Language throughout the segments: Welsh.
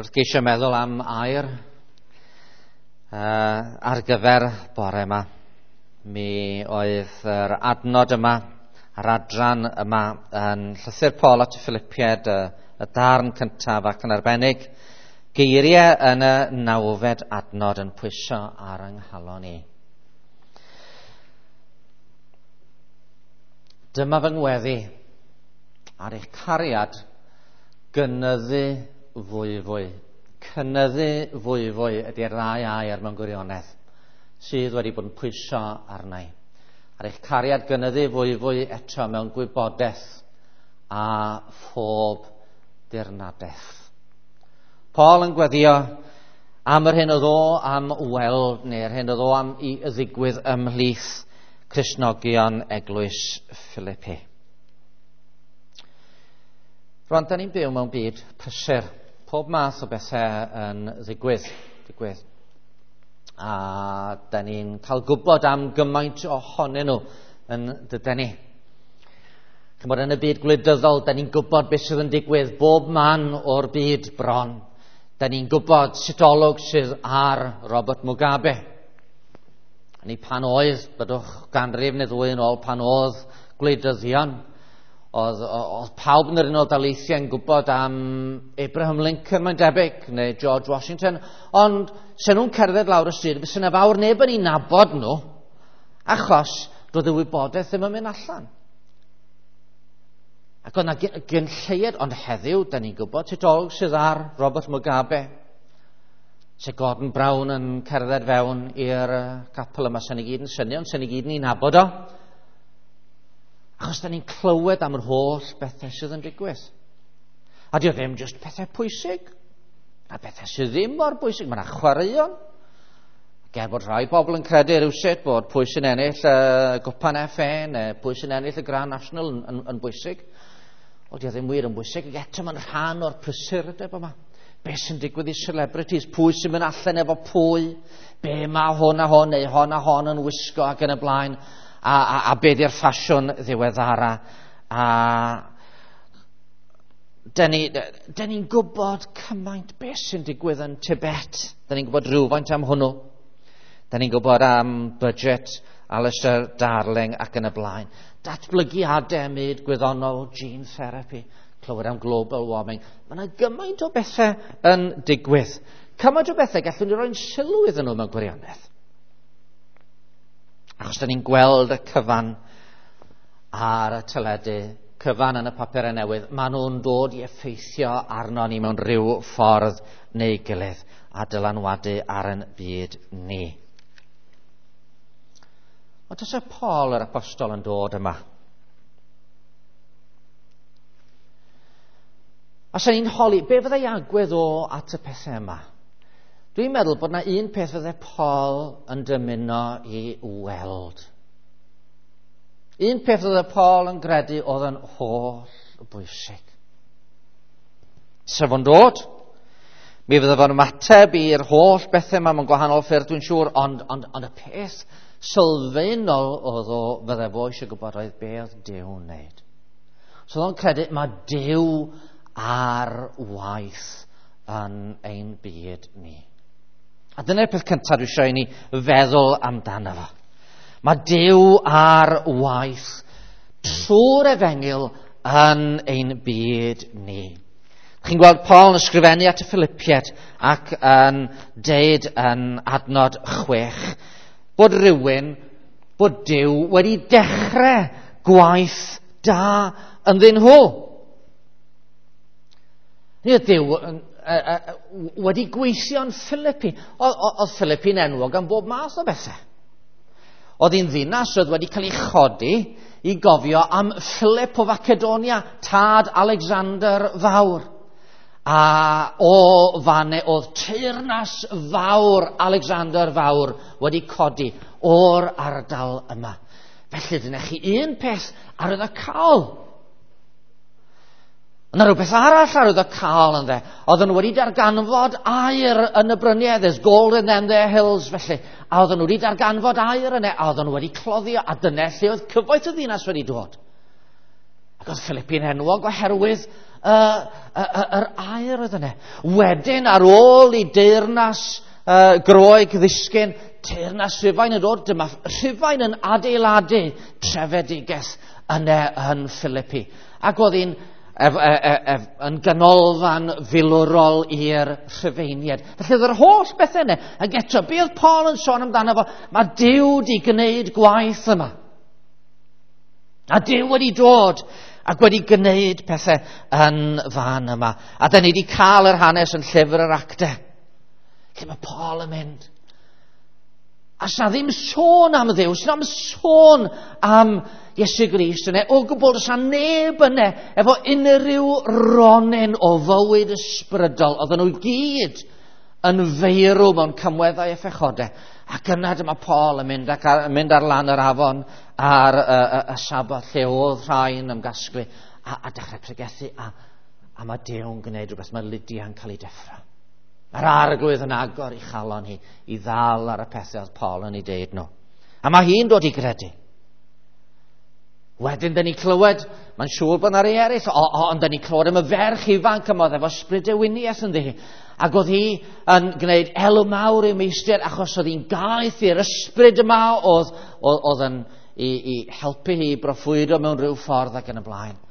Wrth geisio meddwl am air ar gyfer bore yma, mi oedd yr adnod yma, yr adran yma yn llythyr Paul at y Philippiaid, y darn cyntaf ac yn arbennig, geiriau yn y 9fed adnod yn pwyso ar yng nghalon i. Dyma fy ngweddi ar eich cariad gynyddu fwyfwy. Cynyddu fwyfwy ydy'r ddau air mewn gwirionedd sydd wedi bod yn pwyso arna i. Ar eich cariad gynyddu fwyfwy eto mewn gwybodaeth a phob dirnadaeth. Paul yn gweddio am yr hyn oedd o am weld, neu'r hyn oedd o am i ddigwydd ymhlith Cristnogion Eglwys Philippi. Rwan, da ni'n byw mewn byd prysur. Pob math o bethau yn ddigwydd. A da ni'n cael gwybod am gymaint ohonyn nhw yn dyden ni. Chymod, yn y byd gwleidyddol, da ni'n gwybod beth sydd yn digwydd bob man o'r byd bron. Da ni'n gwybod sut olwg sydd ar Robert Mugabe. Ni pan oedd, byddwch ganrif neu ddwy yn ôl, pan oedd gwleidyddion, oedd pawb yn yr Unol Daleithiau yn gwybod am Abraham Lincoln, mae'n debyg, neu George Washington, ond se nhw'n cerdded lawr y stryd, fysa 'na fawr neb yn ei nabod nhw, achos doedd y wybodaeth ddim yn mynd allan. Ac oedd 'na gyn lleied, ond heddiw, da ni'n gwybod sut olwg sydd ar Robert Mugabe. Se Gordon Brown yn cerdded fewn i'r capel yma, sy'n ni gyd yn synnu, ond sy'n ni gyd yn ei nabod o. Achos da ni'n clywed am yr holl bethau sydd yn digwydd. A dio ddim jyst pethau pwysig, a bethau sydd ddim mor bwysig. Mae yna chwaraeon. Ger bod rhai bobl yn credu rhywsut bod pwy sy'n ennill y Gwpan FA neu pwy sy'n ennill y Grand National yn bwysig. Wel, dio ddim wir yn bwysig, ac eto mae'n rhan o'r prysurdeb yma. Be sy'n digwydd i celebrities? Pwy sy'n mynd allan efo pwy? Be mae hwn a hwn neu hon a hon yn wisgo ac yn y blaen? A be di'r ffasiwn ddiweddara? A da ni'n gwybod cymaint be sy'n digwydd yn Tibet. Da ni'n gwybod rhywfaint am hwnnw. Da ni'n gwybod am budget Alistair Darling ac yn y blaen. Datblygiadau myd gwyddonol, gene therapy, clywed am global warming. Mae yna gymaint o bethau yn digwydd. Cymaint o bethau gallwn ni roi'n sylw iddyn nhw mewn gwirionedd. Achos da ni'n gweld y cyfan ar y teledu, cyfan yn y papurau newydd, maen nhw'n dod i effeithio arno ni mewn rhyw ffordd neu gilydd a dylanwadu ar ein byd ni. Ond tasa Paul yr apostol yn dod yma, a sa'n ni'n holi, be fyddai agwedd o at y pethau yma? Dwi'n meddwl bod na un peth fyddai Paul yn dymuno i weld. Un peth fyddai Paul yn gredu oedd yn holl bwysig. Sef o'n dod, mi fydde fo'n ymateb i'r holl bethau yma mewn gwahanol ffyrdd, dwi'n siŵr, ond y peth sylfaenol oedd o fydde fo eisiau gwybod oedd be oedd Duw'n wneud. So oedd o'n credu mae Duw ar waith yn ein byd ni. A dyna'r peth cyntaf dwi eisiau i ni feddwl amdano fo. Mae Duw ar waith trwy'r efengyl yn ein byd ni. Chi'n gweld Paul yn ysgrifennu at y Philippiaid ac yn deud yn adnod 6 bod rhywun, bod Duw wedi dechrau gwaith da ynddyn nhw. Ni oedd Duw wedi gweithio yn Philippi. Oedd Philippi'n enwog am bob math o bethau. Oedd hi'n ddinas oedd wedi cael ei chodi i gofio am Philip o Macedonia, tad Alexander Fawr. A o fanne oedd teyrnas fawr Alexander Fawr wedi codi o'r ardal yma. Felly dyna chi un peth arwyddocaol. Yna rhywbeth arall arwyddocaol ynddo. Oedden nhw wedi darganfod aur yn y bryniau. There's gold in them there hills, felly. A oedden nhw wedi darganfod aur yna. A oedden nhw wedi cloddio. A dyna lle oedd cyfoeth y ddinas wedi dod. Ac oedd Philippi'n enwog oherwydd yr aur oedd yna. Wedyn, ar ôl i deyrnas Groeg ddisgyn, teyrnas Rhufain yn dod, dyma Rhufain yn adeiladu trefedigaeth yna yn Philippi. Ac oedd hi'n yn ganolfan filwrol i'r Rhufeiniaid. Felly oedd yr holl bethau yna. Ac eto, be oedd Paul yn sôn amdano fo? Mae Duw wedi gwneud gwaith yma. A Duw wedi dod ac wedi gwneud pethau yn fan yma. A da ni wedi cael yr hanes yn llyfr yr Actau. Lle mae Paul yn mynd. A sa ddim sôn am Dduw, sa ddim sôn am Iesu Grist yna. O gwbl, sa neb yna efo unrhyw ronyn o fywyd ysbrydol. Oedden nhw gyd yn feirw mewn camweddau a phechodau. Ac yna dyma Paul yn mynd, ac ar, mynd ar lan yr afon ar y Saboth lle oedd rhai'n ymgasglu a dechrau pregethu. A mae Duw'n gwneud rhywbeth, mae Lydia'n cael ei deffro. Mae'r Arglwydd yn agor i chalon hi i ddal ar y pethau oedd Paul yn ei deud nhw. A mae hi'n dod i gredu. Wedyn, dyn ni clywed, mae'n siŵr bod yna rei eraill, ond dyn ni clywed am y ferch ifanc yma oedd efo ysbryd dewiniaeth ynddi hi. Ac oedd hi yn gwneud elw mawr i'w meistr achos oedd hi'n gaeth i'r ysbryd yma oedd yn i helpu hi i broffwydo mewn rhyw ffordd ac yn y blaen.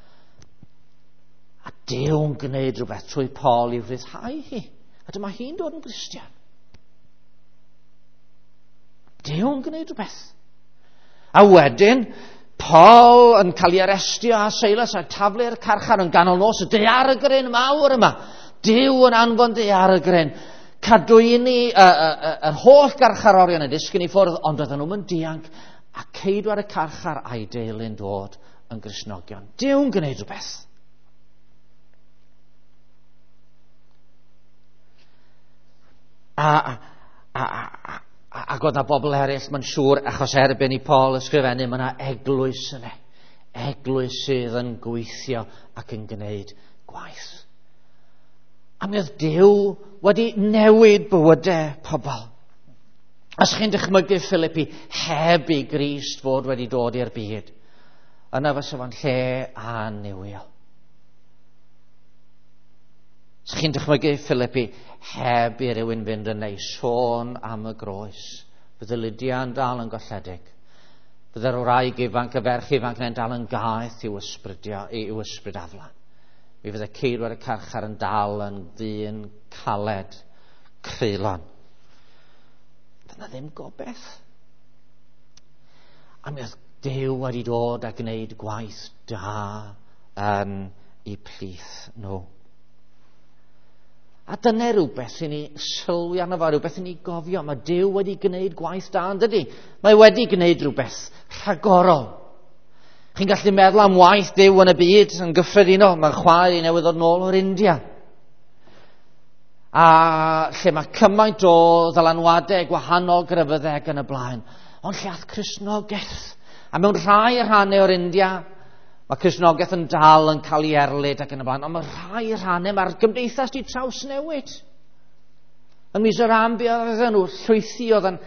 A Duw'n gwneud rhywbeth trwy Paul i'w rhyddhau hi. A dyma hi'n dod yn Gristion. Duw'n gwneud rhywbeth. A wedyn, Paul yn cael ei arestio a Silas a taflu'r carchar yn ganol nos, y daeargryn mawr yma. Duw yn anfon daeargryn. Cadwyni yr holl garcharorion yn disgyn i ffwrdd, ond oedden nhw'n dianc, a ceidwad y carchar a'i deulu'n dod yn Gristnogion. Duw'n gwneud rhywbeth. Ac oedd na bobl eraill, mae'n siŵr, achos erbyn i Paul ysgrifennu, mae yna eglwys yna. Eglwys sydd yn gweithio ac yn gwneud gwaith. A mi oedd Duw wedi newid bywydau pobl. Os chi'n dychmygu Philippi heb i Grist fod wedi dod i'r byd, yna fysa fo'n lle annuwiol. Os chi'n dychmygu Philippi heb i rywun fynd yn ei sôn am y groes, fydde Lydia'n dal yn golledig. Fydde'r wraig ifanc, y ferch ifanc yna'n dal yn gaeth i'w ysbryd aflan. Mi fydde ceidwad y carchar yn dal yn ddyn caled, creulon. Dyna ddim gobaith. A mi oedd Duw wedi dod a gwneud gwaith da yn eu plith nhw. A dyna rhywbeth i ni sylwi arno fo, rhywbeth i ni gofio. Mae Duw wedi gwneud gwaith da, yn dydi? Mae wedi gwneud rhywbeth rhagorol. Chi'n gallu meddwl am waith Duw yn y byd yn gyffredinol. Mae'n chwaer i newydd ddod nôl o'r India. A lle mae cymaint o ddylanwadau gwahanol grefyddau ac yn y blaen. Ond lle ath Cristnogaeth. A mewn rhai rhannau o'r India, mae Cristnogaeth yn dal yn cael ei erlid ac yn y blaen, ond mae rhai rhannau, mae'r gymdeithas di trawsnewid. Yn Mizoram, be oedd nhw, llwythi oedd yn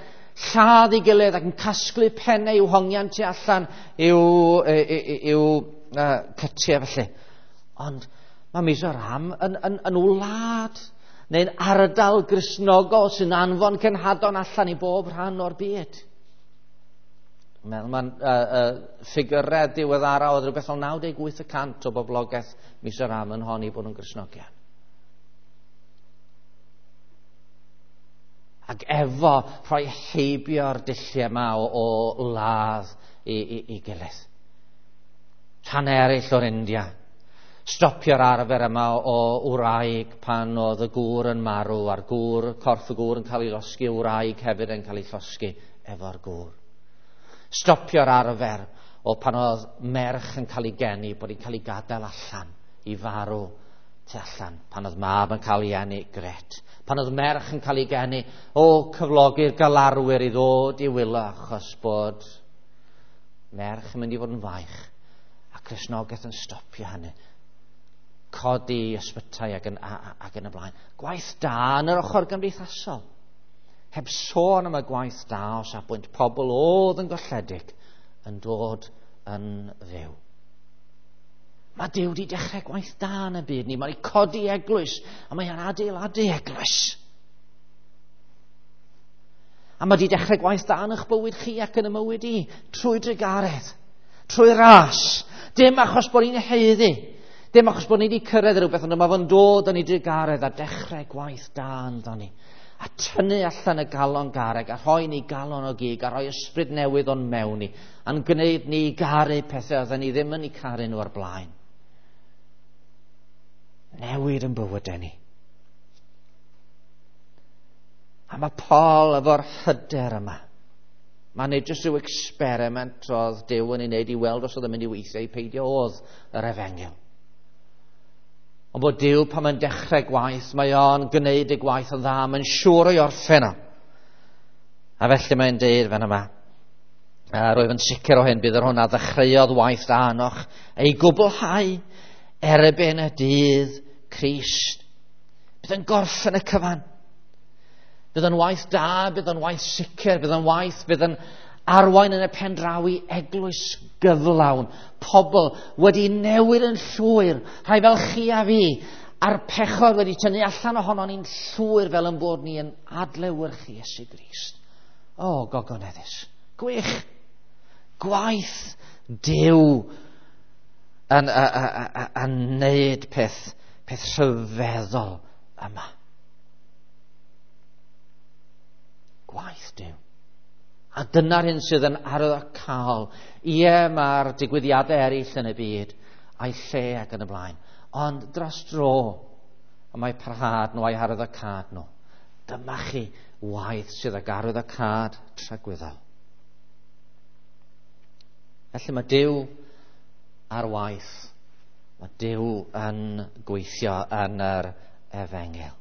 lladd ei gilydd ac yn casglu pennau i'w hongian tu allan i'w cytiau felly. Ond mae Mizoram yn wlad neu'n ardal Gristnogol sy'n anfon cenhadon allan i bob rhan o'r byd. Mae'n ffigurau diweddara oedd rhywbeth fel 98% o boblogaeth Mizoram yn honni bod nhw'n Gristnogion. Ac efo rhoi heibio'r dulliau yma o ladd i gilydd. Rhan eraill o'r India. Stopio'r arfer yma o wraig pan oedd y gŵr yn marw a'r gŵr, corff y gŵr yn cael ei losgi, wraig hefyd yn cael ei llosgi efo'r gŵr. Stopio'r arfer o pan oedd merch yn cael ei geni, bod hi'n cael ei gadael allan i farw tu allan. Pan oedd mab yn cael ei eni, gret. Pan oedd merch yn cael ei geni, o cyflogi'r galarwyr i ddod i wylo achos bod merch yn mynd i fod yn faich. A Cristnogaeth yn stopio hynny. Codi ysbytai ac yn y blaen. Gwaith da yn yr ochr gymdeithasol. Heb sôn am y gwaith da o safbwynt pobl oedd yn golledig yn dod yn fyw. Mae Duw wedi dechrau gwaith da yn y byd ni. Mae wedi codi eglwys, a mae o'n adeiladu eglwys. A mae wedi dechrau gwaith da yn eich bywyd chi ac yn y mywyd i, trwy drugaredd, trwy ras. Dim achos bod ni'n haeddu, dim achos bod ni wedi cyrraedd rhywbeth, ond mae fo'n dod yn ei drugaredd a dechrau gwaith da ynddo ni. A tynnu allan y galon garreg, a rhoi ni galon o gig, a rhoi ysbryd newydd o'n mewn ni, a'n gwneud ni garu pethau oedden ni ddim yn eu caru nhw o'r blaen. Newid yn bywydau ni. A mae Paul efo'r hyder yma. Mae'n neud jyst rhyw experiment oedd Duw yn ei wneud i weld os oedd yn mynd i weithio i peidio oedd yr efengyl. Ond bod Duw pan mae'n dechrau gwaith, mae o'n gwneud y gwaith yn dda, mae'n siŵr o'i orffen o. A felly mae'n deud fan yma, a rwyf yn sicr o hyn, bydd yr hwn a ddechreuodd waith da anoch ei gwblhau erbyn y dydd Crist. Bydd yn gorffen y cyfan. Bydd yn waith da, bydd yn waith sicr, bydd yn waith, bydd yn arwain yn y pen draw i eglwys gyflawn. Pobl wedi newid yn llwyr, rhai fel chi a fi, a'r pechod wedi tynnu allan ohono ni'n llwyr fel yn bod ni yn adlewyrchu Iesu Grist. O, gogoneddus. Gwych. Gwaith Duw yn, yn neud peth, peth rhyfeddol yma. Gwaith Duw. A dyna'r hyn sydd yn arwyddocaol. Ie, mae'r digwyddiadau eraill yn y byd, a'i lle ac yn y blaen. Ond dros dro, y mae parhad nhw a'i harwyddocâd nhw. Dyma chi waith sydd ag arwyddocâd tragwyddol. Felly mae Duw ar waith. Mae Duw yn gweithio yn yr efengyl.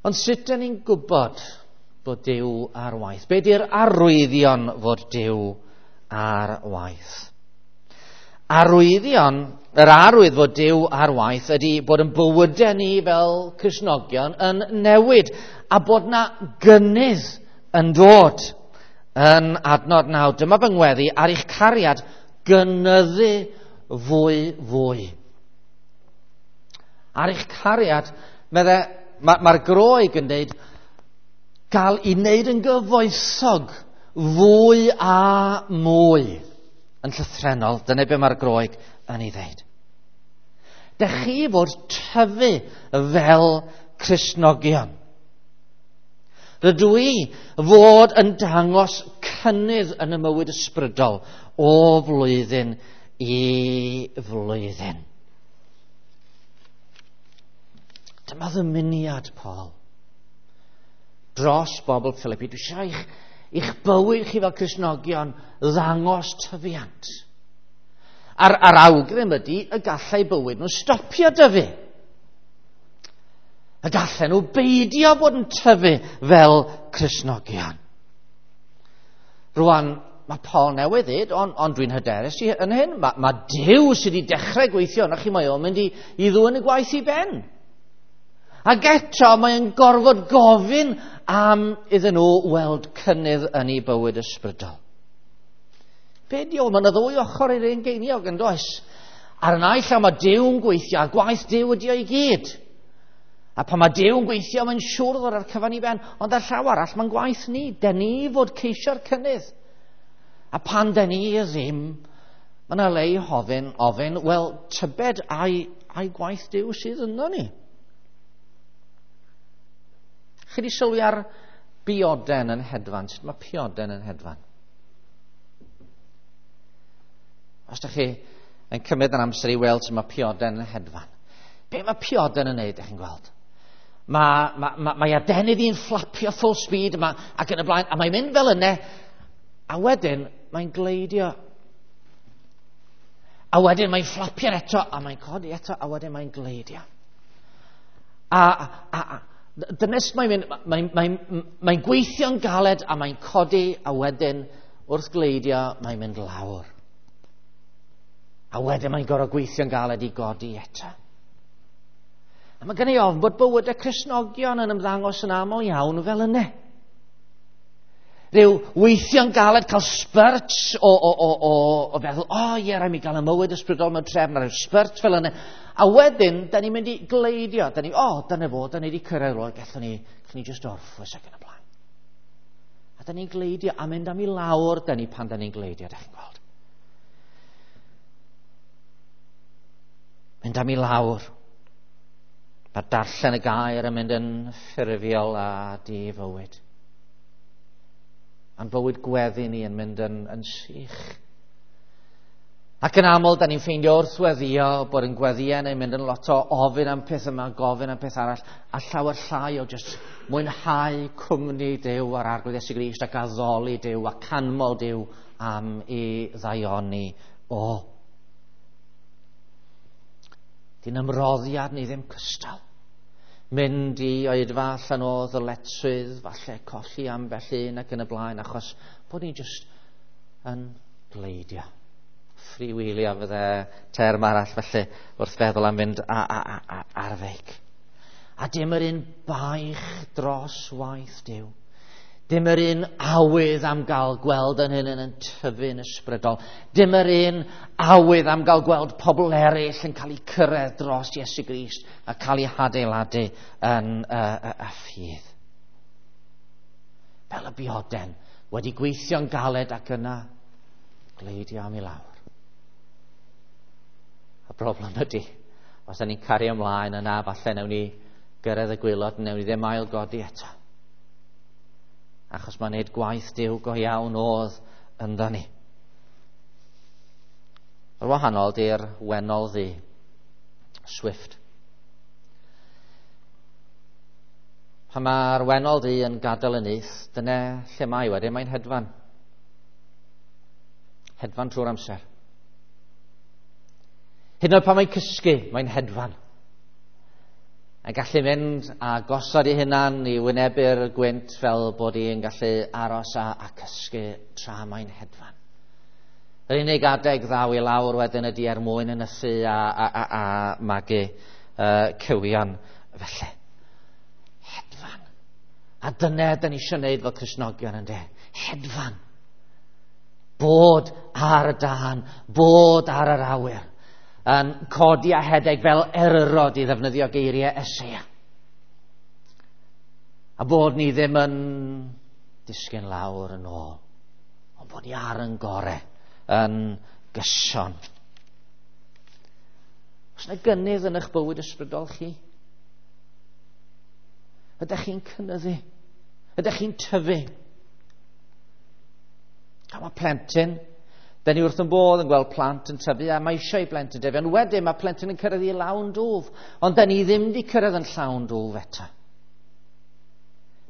Ond sut dyn ni'n gwybod bod Duw ar waith? Be di'r arwyddion fod Duw ar waith? Arwyddion, yr arwydd fod Duw ar waith ydy bod yn bywydau ni fel Cristnogion yn newid a bod na gynnydd yn dod yn adnod 9. Dyma fy ngweddi ar eich cariad gynyddu fwy fwy. Ar eich cariad, medde, mae'r ma Groeg yn dweud, gael i wneud yn gyfoethog fwy a mwy. Yn llythrennol, dyna be mae'r Groeg yn ei ddeud. Dech chi fod tyfu fel Cristnogion. Rydw i fod yn dangos cynnydd yn y mywyd ysbrydol o flwyddyn i flwyddyn. Dyma ddymuniad Paul dros bobl Philippi. Dwi eisiau eich, eich bywyd chi fel Cristnogion ddangos tyfiant. A'r, ar awgrym ydy y gallai bywyd nhw stopio dyfu. Y gallen nhw beidio bod yn tyfu fel Cristnogion. Rwan, mae Paul newydd ddweud, ond on dwi'n hyderus i yn hyn, mae, mae Duw sydd wedi dechrau gweithio yna chi, mae o'n mynd i, i ddwyn y gwaith i ben. Ac eto mae'n gorfod gofyn am iddyn nhw weld cynnydd yn ei bywyd ysbrydol. Be di o? Mae yna ddwy ochr i'r un geiniog yn does? Ar y naill llaw mae Duw'n gweithio, a gwaith Duw ydi o i gyd. A pan mae Duw'n gweithio, mae'n siŵr ddod ar cyfan i ben. Ond ar llaw arall, mae'n gwaith ni. Den ni fod ceisio'r cynnydd. A pan den ni ddim, mae yna le i hofyn, ofyn, wel, tybed ai, ai gwaith Duw sydd yno ni. Chi wedi sylwi ar bioden yn hedfan? Sut mae pioden yn hedfan? Os ydych chi yn cymryd yr amser i weld sut mae pioden yn hedfan. Be mae pioden yn neud, ydych chi'n gweld? Mae, mae, mae, mae adenydd i'n fflapio full speed ma, ac yn y blaen, a mae'n mynd fel yna, a wedyn mae'n gleidio. A wedyn mae'n fflapio eto, a mae'n codi eto, a wedyn mae'n gleidio. A, a, a, dyna sut mae'n mynd, mae'n mae, mae gweithio'n galed a mae'n codi, a wedyn wrth gleidio mae'n mynd lawr. A wedyn mae'n gorfod gweithio'n galed i godi eto. A mae gen i ofn bod bywydau Cristnogion yn ymddangos yn aml iawn fel yna. Rhyw weithio'n galed, cael spurt o feddwl, o ie, rhaid mi gael y mywyd ysbrydol mewn trefn, a rhyw spurt fel yna. A wedyn, da ni'n mynd i gleidio. Da ni, o, dyna fo, da ni wedi cyrraedd rôl, gallwn ni just orffwys ac yn y blaen. A da ni'n gleidio, a mynd am i lawr, da ni pan da ni'n gleidio, da chi'n gweld. Mynd am i lawr. Mae darllen y gair yn mynd yn ffurfiol a di-fywyd. A'n bywyd gweddi ni yn mynd yn sych. Ac yn aml, da ni'n ffeindio wrth weddio bod yn gweddïau neu'n mynd yn lot o ofyn am peth yma, gofyn am peth arall, a llawer llai o jyst mwynhau cwmni Duw a'r Arglwydd Iesu Grist ac addoli Duw a canmol Duw am ei ddaioni o. Dyn ymroddiad ni ddim cystal. Mynd i oedfa allan o ddyletswydd, falle colli ambell un ac yn y blaen, achos bod ni jyst yn gleidio. Freewheelio fydde term arall felly wrth feddwl am fynd ar feic. A dim yr un baich dros waith Duw. Dim yr un awydd am gael gweld yn hyn yn tyfu'n ysbrydol. Dim yr un awydd am gael gweld pobl eraill yn cael eu cyrraedd dros Iesu Grist a cael eu hadeiladu yn y ffydd. Fel y bioden wedi gweithio'n galed ac yna gleidio am i lawr. Y broblem ydy, os da ni'n cario ymlaen yna, falle newn ni gyrraedd y gwaelod, newn ni ddim ailgodi eto. Achos mae'n neud gwaith Duw go iawn oedd ynddo ni. Yr wahanol di'r wennol ddu, Swift. Pan mae'r wennol ddu yn gadael y nyth, dyna lle mae wedyn, mae'n hedfan. Hedfan trwy'r amser. Hyd yn oed pan mae'n cysgu, mae'n hedfan. A gallu mynd a gosod ei hunan i wynebu'r gwynt fel bod hi'n gallu aros a cysgu tra mae'n hedfan. Yr unig adeg ddaw i lawr wedyn ydy er mwyn ynysu a magu cywion felly. Hedfan. A dyna da ni eisiau gwneud fel Cristnogion ynde. Hedfan. Bod ar y dân, bod ar yr awyr. Yn codi a hedeg fel eryrod i ddefnyddio geiriau Eseia. A bod ni ddim yn disgyn lawr yn ôl, ond bod ni ar yn gore, yn gyson. Oes yna gynnydd yn eich bywyd ysbrydol chi? Ydych chi'n cynyddu? Ydych chi'n tyfu? A mae plentyn, da ni wrth yn bodd yn gweld plant yn tyfu, a mae eisiau i blentyn dyfu, ond wedyn mae plentyn yn cyrraedd i lawn dwf, ond da ni ddim wedi cyrraedd yn llawn dwf eto.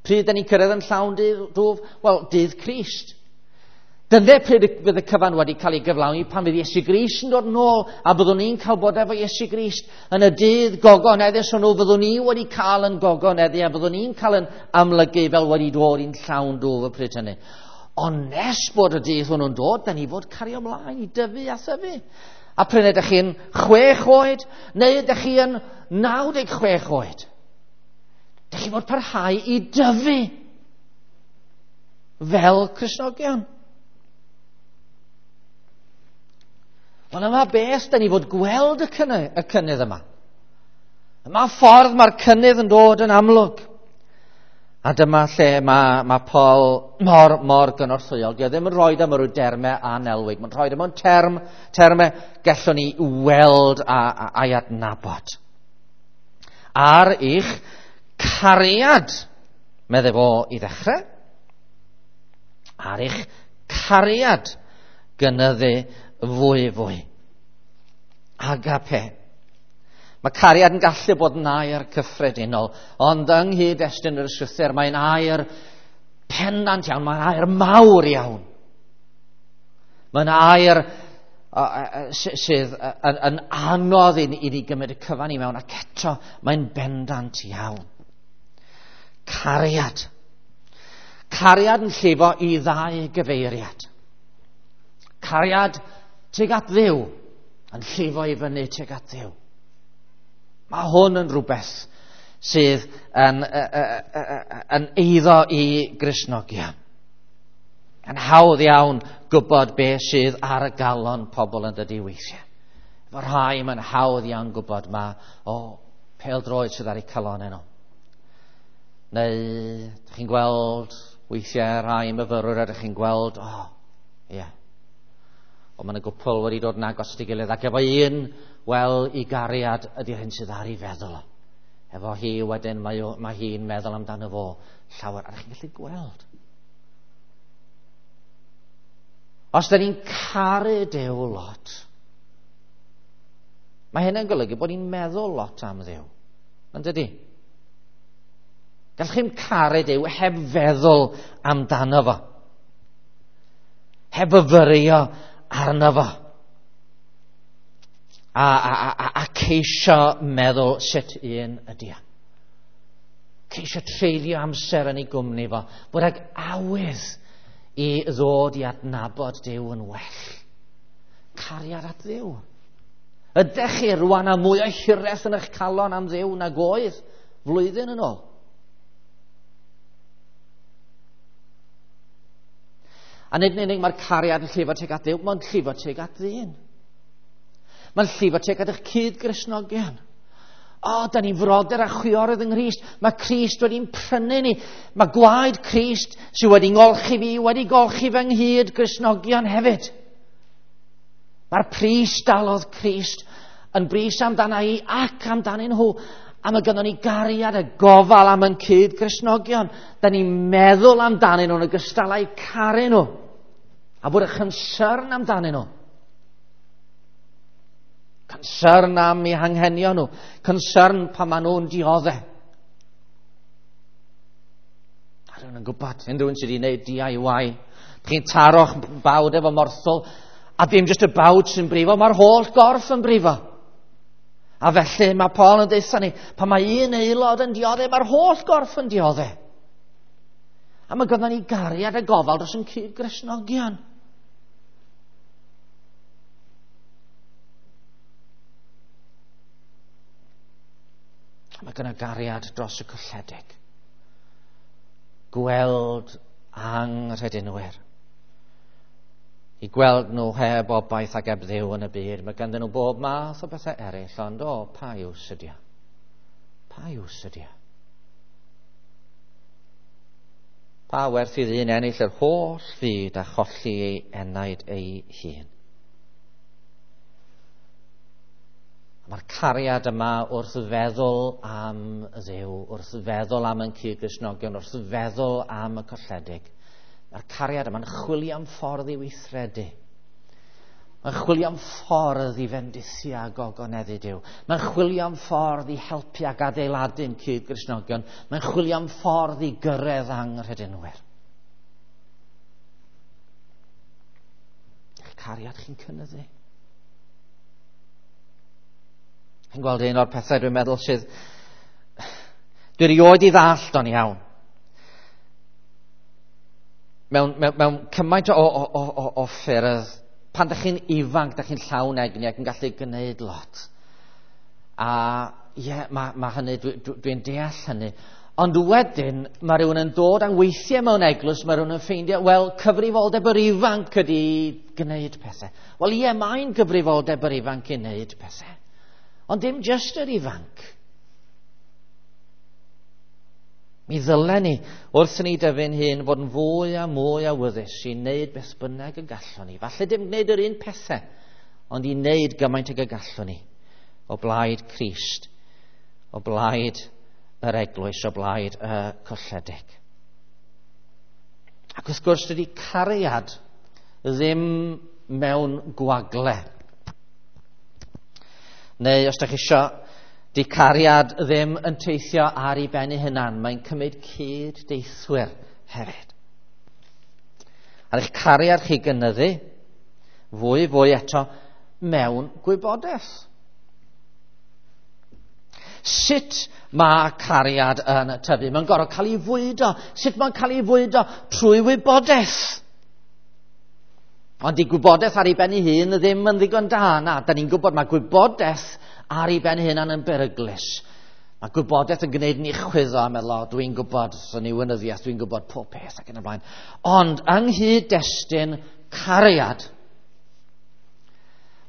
Pryd da ni'n cyrraedd yn llawn dwf? Wel, dydd Crist. Dyna pryd fydd y cyfan wedi cael ei gyflawni, pan fydd Iesu Grist yn dod nôl, a byddwn ni'n cael bod efo Iesu Grist yn y dydd gogoneddus hwnnw, fyddwn ni wedi cael yn gogoneddu, a byddwn ni'n cael yn amlygu fel wedi dod i'n llawn dwf y pryd hynny. Ond nes bod y dydd hwnnw'n dod, da ni fod cario ymlaen i dyfu a thyfu. A pryd ydych chi'n 6 oed, neu ydych chi yn 96 oed, ydych chi fod parhau i dyfu fel Cristnogion. Ond yma beth, da ni fod gweld y cynnydd yma. Yma ffordd mae'r cynnydd yn dod yn amlwg. A dyma lle mae Paul mor gynorthwyol. Dio ddim yn rhoi am ryw dermau anelwig. Mae'n rhoi am termau gallwn ni weld a'i adnabod. Ar eich cariad, medde fo i ddechrau. Ar eich cariad gynyddu fwy fwy. Agape. Mae cariad yn gallu bod yn air cyffredinol, ond yng nghyd-destun yr ysgrythur mae'n air pendant iawn, mae'n air mawr iawn. Mae'n air sydd yn anodd i ni gymryd y cyfan i mewn, ac eto mae'n bendant iawn. Cariad. Cariad yn llifo i ddau gyfeiriad. Cariad tuag at Dduw, yn llifo i fyny tuag at Dduw. Mae hwn yn rhywbeth sydd yn eiddo i Gristnogion. Yn hawdd iawn gwybod beth sydd ar y galon pobl yn dydy weithiau. Efo rhai mae'n hawdd iawn gwybod ma, o, pêl-droed sydd ar eu calonau nhw. Neu, ydych chi'n gweld, weithiau rhai myfyrwyr ydych chi'n gweld, o, ie. Yeah. O, mae yna gwpl wedi dod yn agos at ei gilydd, ac efo un, wel, i gariad ydy'r hyn sydd ar ei feddwl. Efo hi wedyn, mae hi'n meddwl amdano fo llawer, a ydych chi'n gallu gweld. Os da ni'n caru Duw lot, mae hynny'n golygu bod ni'n meddwl lot am Dduw. Yn dydy? Gallwch chi'm caru Duw heb feddwl amdano fo. Heb fyfyrio arno fo. A ceisio meddwl sut un ydy o. Ceisio treulio amser yn ei gwmni fo. Bod ag awydd i ddod i adnabod Duw yn well. Cariad at Dduw. Ydych chi rwan â mwy o hiraeth yn eich calon am Dduw nag oedd flwyddyn yn ôl? A nid yn unig mae'r cariad yn llifo tuag at Dduw, mae'n llifo tuag at ddyn. Mae'n llifo tuag at eich cyd-Gristnogion. O, da ni'n frodyr a chwiorydd yng Nghrist. Mae Crist wedi'n prynu ni. Mae gwaed Crist sydd wedi ngolchi fi, wedi golchi fy nghyd Gristnogion hefyd. Mae'r pris dalodd Crist yn bris amdana i ac amdanyn nhw. A mae gynnon ni gariad a gofal am yn cyd Gristnogion. Da ni'n meddwl amdanyn nhw'n ogystal â'u caru nhw. A bod y concern amdanyn nhw. Concern am eu hanghenion nhw. Concern pan maen nhw'n dioddef. A rhywun yn gwybod, unrhyw un sydd wedi gwneud DIY. Chi'n taro'ch bawd efo morthwl, a dim jyst y bawd sy'n brifo, mae'r holl gorff yn brifo. A felly mae Paul yn deutha ni, pan mae un aelod yn dioddef, mae'r holl gorff yn dioddef. A mae gynnon ni gariad a gofal dros yn cyd-Gristnogion. Mae gynno gariad dros y colledig. Gweld anghredinwyr. I gweld nhw heb obaith ac heb Dduw yn y byd. Mae ganddyn nhw bob math o bethau eraill, ond o, pa iws ydi o? Pa iws ydi o? Pa werth i ddyn ennill yr holl fyd a cholli ei enaid ei hun? Mae'r cariad yma wrth feddwl am Dduw, wrth feddwl am ein cyd-Gristnogion, wrth feddwl am y colledig. Mae'r cariad yma'n chwilio am ffordd i weithredu. Mae'n chwilio am ffordd i fendithio a gogoneddu Duw. Mae'n chwilio am ffordd i helpu ac adeiladu'n cyd-Gristnogion. Mae'n chwilio am ffordd i gyrraedd anghredinwyr. Eich cariad chi'n cynyddu. Chi'n gweld un o'r pethau dwi'n meddwl sydd... Dwi erioed i ddallt o'n iawn. Mewn cymaint o ffyrdd, pan dych chi'n ifanc, dych chi'n llawn egni ac yn gallu gwneud lot. A ie, mae hynny, dwi'n deall hynny. Ond wedyn, mae rhywun yn dod a weithiau mewn eglwys, mae rhywun yn ffeindio, wel, cyfrifoldeb yr ifanc ydy gwneud pethau. Wel ie, mae'n gyfrifoldeb yr ifanc i wneud pethau. Ond dim jyst yr ifanc. Mi ddylen ni, wrth ni dyfu'n hun, fod yn fwy a mwy awyddus i wneud beth bynnag y gallwn ni. Falle dim gwneud yr un pethau, ond i wneud gymaint ag y gallwn ni. O blaid Crist, o blaid yr eglwys, o blaid y colledig. Ac wrth gwrs, dydy cariad ddim mewn gwagle. Neu, os ydych chi isio, di cariad ddim yn teithio ar ei ben ei hunan. Mae'n cymryd cyd-deithwyr hefyd. Ar eich cariad chi gynyddu, fwy fwy eto, mewn gwybodaeth. Sut mae cariad yn tyfu? Mae'n gorfod cael ei fwydo. Sut mae'n cael ei fwydo? Trwy wybodaeth. Ond di gwybodaeth ar ei ben ei hun ddim yn ddigon da. Na, da ni'n gwybod mae gwybodaeth ar ei ben ei hunan yn beryglus. Mae gwybodaeth yn gwneud ni chwyddo a meddwl, o, dwi'n gwybod, so ni wynyddiaeth, dwi'n gwybod pob peth ac yn y blaen. Ond yng nghyd-destun cariad,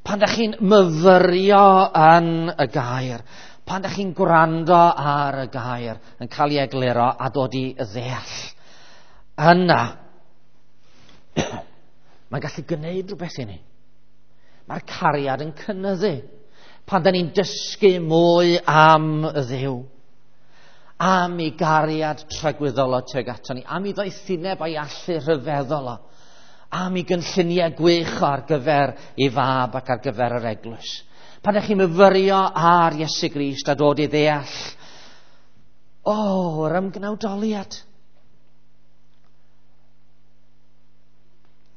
pan da chi'n myfyrio yn y gair, pan da chi'n gwrando ar y gair, yn cael ei egluro a dod i ddeall, yna, mae'n gallu gwneud rhywbeth i ni. Mae'r cariad yn cynyddu. Pan da ni'n dysgu mwy am y Dduw, am ei gariad tragwyddol o tuag ato ni, am ei ddoethineb a'i allu rhyfeddol o, am ei gynlluniau gwych o ar gyfer ei fab ac ar gyfer yr eglwys. Pan ydych chi'n myfyrio ar Iesu Grist a dod i ddeall, o, yr ymgnawdoliad.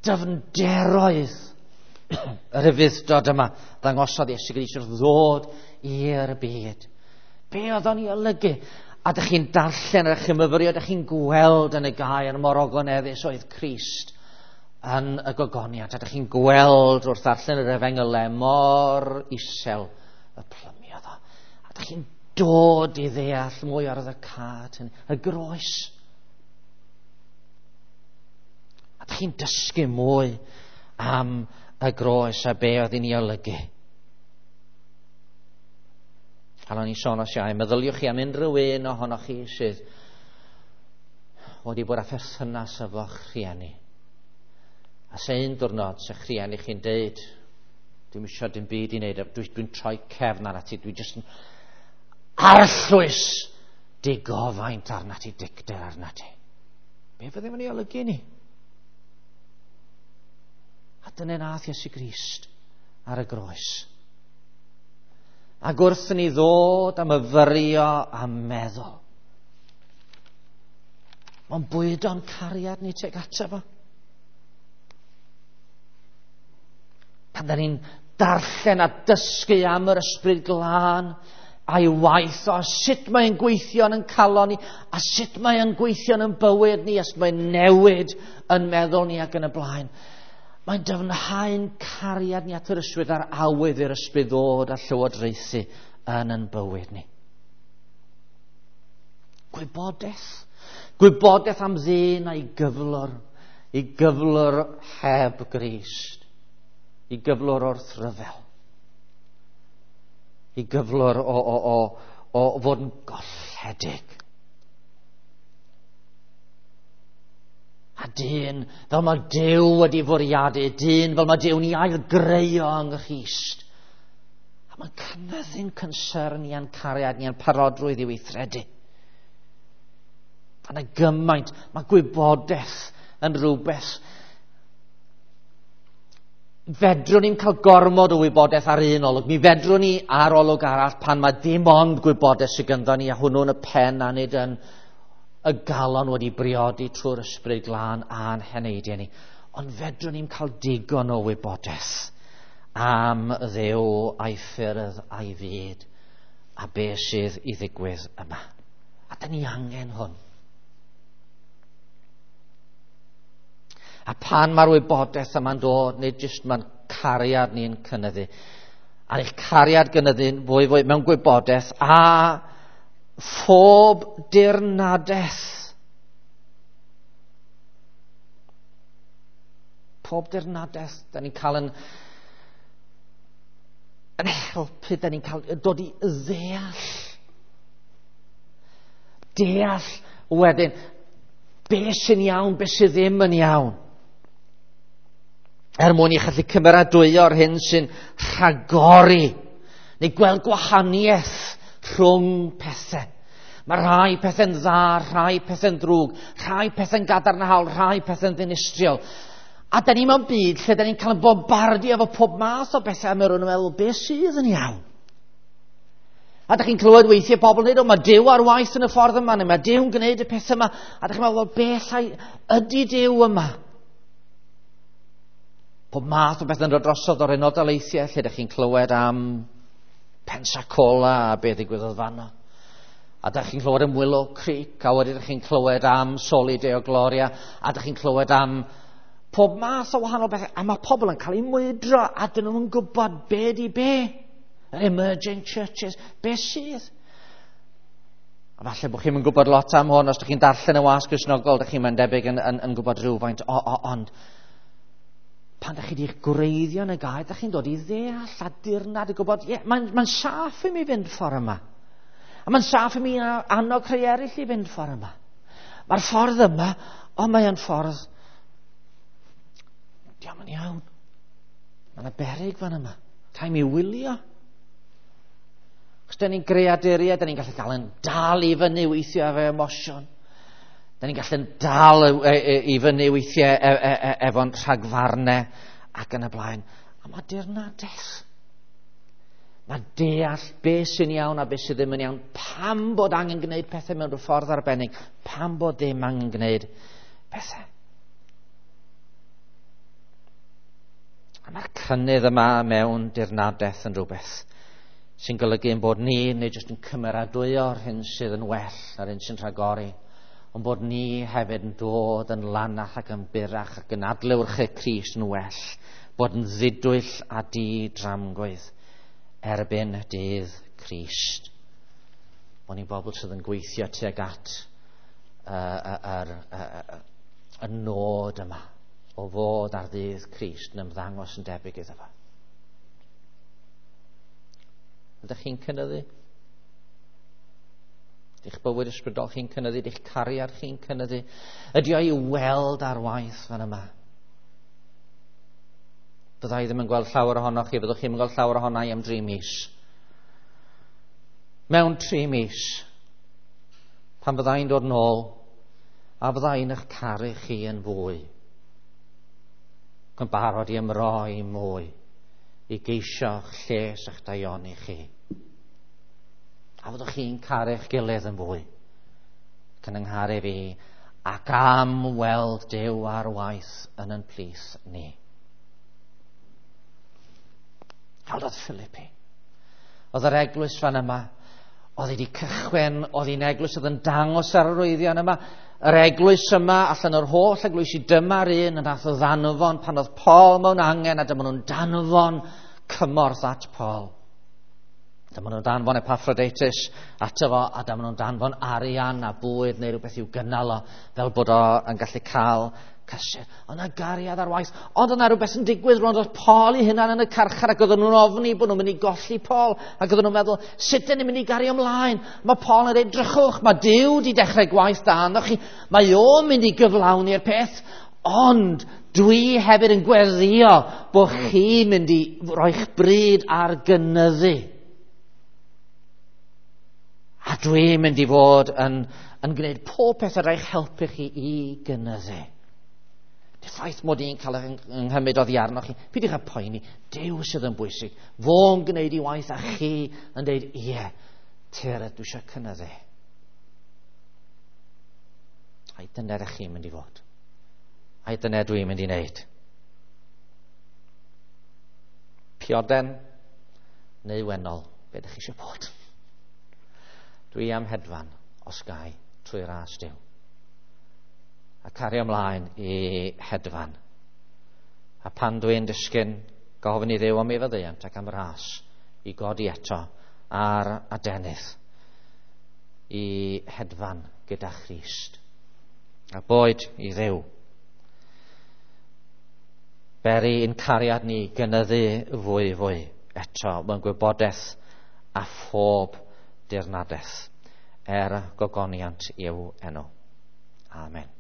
Dyfnderoedd yr ufudd-dod yma ddangosodd Iesu Grist wrth ddod i'r byd. Be oedd o'n ei olygu? A dych chi'n darllen, a dych chi'n myfyrio, dych chi'n gweld yn y gair mor ogoneddus oedd Crist yn y gogoniant. A dych chi'n gweld wrth ddarllen yr efengylau mor isel y plymiodd o. A dych chi'n dod i ddeall mwy ar y cad hynny, y groes. A dych chi'n dysgu mwy am y groes a be oedd hi'n ei olygu. Pan o'n i'n sôn os iau, meddyliwch chi am unrhyw un ohonoch chi sydd wedi bod â pherthynas efo'ch rhieni. A se un diwrnod, se'ch rhieni chi'n deud, dwi'm isio dim byd i wneud, dwi'n troi cefn arnat ti, dwi jyst yn arllwys digofaint arnat ti, dicter arnat ti. Be fydde fo'n ei olygu ni? A dyna nath Iesu Grist ar y groes. Ac wrth ni ddod a myfyrio a meddwl, mae'n bwydo'n cariad ni tuag ato fo. Pan da ni'n darllen a dysgu am yr Ysbryd Glân a'i waith o, a sut mae'n gweithio yn calon ni, a sut mae'n gweithio yn bywyd ni, a sut mae'n newid yn meddwl ni ac yn y blaen. Mae'n dyfnhau'n cariad ni at yr ysbryd a'r awydd i'r ysbryd ddod a llywodraethu yn yn bywyd ni. Gwybodaeth. Gwybodaeth am ddyn a'i gyflwr. I gyflwr heb Grist. I gyflwr wrth ryfel. I gyflwr o fod yn golledig. A dyn, fel mae Duw wedi fwriadu, dyn fel mae Duw'n ei ailgreu yng Nghrist. A mae'n cynyddu'n concern ni a'n cariad ni a'n parodrwydd i weithredu. A na gymaint, mae gwybodaeth yn rhywbeth. Fedrwn ni'n cael gormod o wybodaeth ar un olwg. Mi fedrwn ni ar olwg arall pan mae dim ond gwybodaeth sydd ganddo ni a hwnnw'n y pen a nid yn y galon wedi briodi trwy'r Ysbryd Glân a'n heneidiau ni. Ond fedrwn ni'n cael digon o wybodaeth am Dduw a'i ffyrdd a'i fyd a be sydd i ddigwydd yma. A da ni angen hwn. A pan mae'r wybodaeth yma'n dod, nid jyst mae'n cariad ni'n cynyddu. A'r eich cariad gynyddu'n fwy fwy mewn gwybodaeth a phob dirnadaeth. Pob dirnadaeth, da ni'n cael yn helpu, da ni'n cael dod i ddeall. Deall wedyn, be sy'n iawn, be sydd ddim yn iawn. Er mwyn i chi allu cymeradwyo'r hyn sy'n rhagori, neu gweld gwahaniaeth rhwng pethau. Mae rhai pethau'n dda, rhai pethau'n ddrwg, rhai pethau'n gadarnhaol, rhai pethau'n ddinistriol. A da ni mewn byd lle da ni'n cael yn bombardio efo pob math o bethau a mae rhywun yn meddwl, be sydd yn iawn? A da chi'n clywed weithiau pobl yn dweud, o, mae Duw ar waith yn y ffordd yma, neu mae Duw'n gwneud y pethau yma. A da chi'n meddwl, be allai ydy Duw yma? Pob math o bethau'n dod drosodd o'r Unol Daleithiau, lle da chi'n clywed am Pensacola a be ddigwyddodd fanno. A da chi'n clywed am Willow Creek, a wedyn da chi'n clywed am Soli Deo Gloria, a da chi'n clywed am pob math o wahanol bethau. A mae pobl yn cael eu mwydro, a dyn nhw'n gwybod be di be. Yr emerging churches, be sydd. A falle bod chi'n gwybod lot am hwn, os ydych chi'n darllen y wasg Gristnogol, ydych chi'n debyg yn gwybod rhywfaint, ond pan ydych chi wedi'ch gwreiddio yn y gair, ydych chi'n dod i ddeall a dirnad i gwybod, ie, mae'n saff i mi fynd ffordd yma. A mae'n saff i mi annog rhai eraill i fynd ffordd yma. Mae'r ffordd yma, ond mae'n ffordd, diolch yn iawn. Mae yna beryg fan yma. Rhaid mi wylio. Chos da ni'n greaduriaid, da ni'n gallu gael yn dal i fyny weithiau efo emosiwn. Da ni'n gallu dal i fyny weithiau efo'n rhagfarnau ac yn y blaen. A mae dirnadaeth. Mae deall beth sy'n iawn a beth sydd ddim yn iawn. Pam bod angen gwneud pethau mewn rhyw ffordd arbennig. Pam bod ddim angen gwneud pethau. A mae'r cynnydd yma mewn dirnadaeth yn rhywbeth sy'n golygu ein bod ni, neu jyst yn cymeradwyo'r hyn sydd yn well a'r hyn sy'n rhagori, ond bod ni hefyd yn dod yn lanach ac yn burach ac yn adlewyrchu Crist yn well, bod yn ddidwyll a di-dramgwydd erbyn dydd Crist. Bod ni'n bobl sydd yn gweithio tuag at y nod yma o fod ar ddydd Crist yn ymddangos yn debyg iddo fo. Ydych chi'n cynyddu? Ydych bywyd ysbrydol chi'n cynyddu? Ydych cariad chi'n cynyddu? Ydy o i weld ar waith fan yma? Fydda i ddim yn gweld llawer ohonoch chi, fyddwch chi'n gweld llawer ohona i am 3 mis. Mewn 3 mis, pan fydda i'n dod nôl, a fydda i'n eich caru chi yn fwy, yn barod i ymroi mwy, i geisio'ch lles a'ch daioni chi. A fyddwch chi'n caru'ch gilydd yn fwy, ac yn yngharu fi, ac am weld Duw ar waith yn ein plith ni. Hawdd oedd Philippi. Oedd yr eglwys fan yma, oedd wedi cychwyn, oedd hi'n eglwys oedd yn dangos ar yr arwyddion yma. Yr eglwys yma, allan o'r holl eglwysi, dyma'r un yn nath o ddanfon pan oedd Paul mewn angen, a dyma nhw'n danfon cymorth at Paul. Dyma nhw'n danfon Epaphroditus ato fo, a dyma nhw'n danfon arian a bwyd neu rhywbeth i'w gynnal o, fel bod o yn gallu cael cysur. Oedd yna gariad ar waith, ond oedd yna rhywbeth yn digwydd rwan, oedd Paul ei hunan yn y carchar, ac oedden nhw'n ofni bod nhw'n mynd i golli Paul, ac oedden nhw'n meddwl, sut dyn ni'n mynd i gario ymlaen? Mae Paul yn dweud, drychwch, mae Duw wedi dechrau gwaith da arnoch chi, mae o'n mynd i gyflawni'r peth, ond dwi hefyd yn gweddïo bod chi'n mynd i roi'ch bryd ar gynyddu. A dwi'n mynd i fod yn gwneud pob peth ar eich helpu chi i gynyddu. Y ffaith mod i'n cael yng nghymryd oddi arnoch chi, peidiwch â poeni, Duw sydd yn bwysig. Fo'n gwneud i waith a chi yn dweud, ie, tyred, dwi eisiau cynyddu. Ai dyna ydych chi'n mynd i fod. Ai dyna dwi'n mynd i wneud. Pioden neu wennol, be ydych chi eisiau bod? Dwi am hedfan, os gai, trwy ras Duw. A cario ymlaen i hedfan. A pan dwi'n disgyn, gofyn i Dduw am ei faddeuant ac am ras i godi eto ar adenydd i hedfan gyda Christ. A boed i Dduw beri ein cariad ni gynyddu fwy fwy eto mewn gwybodaeth a phob dirnadaeth er gogoniant i'w enw. Amen.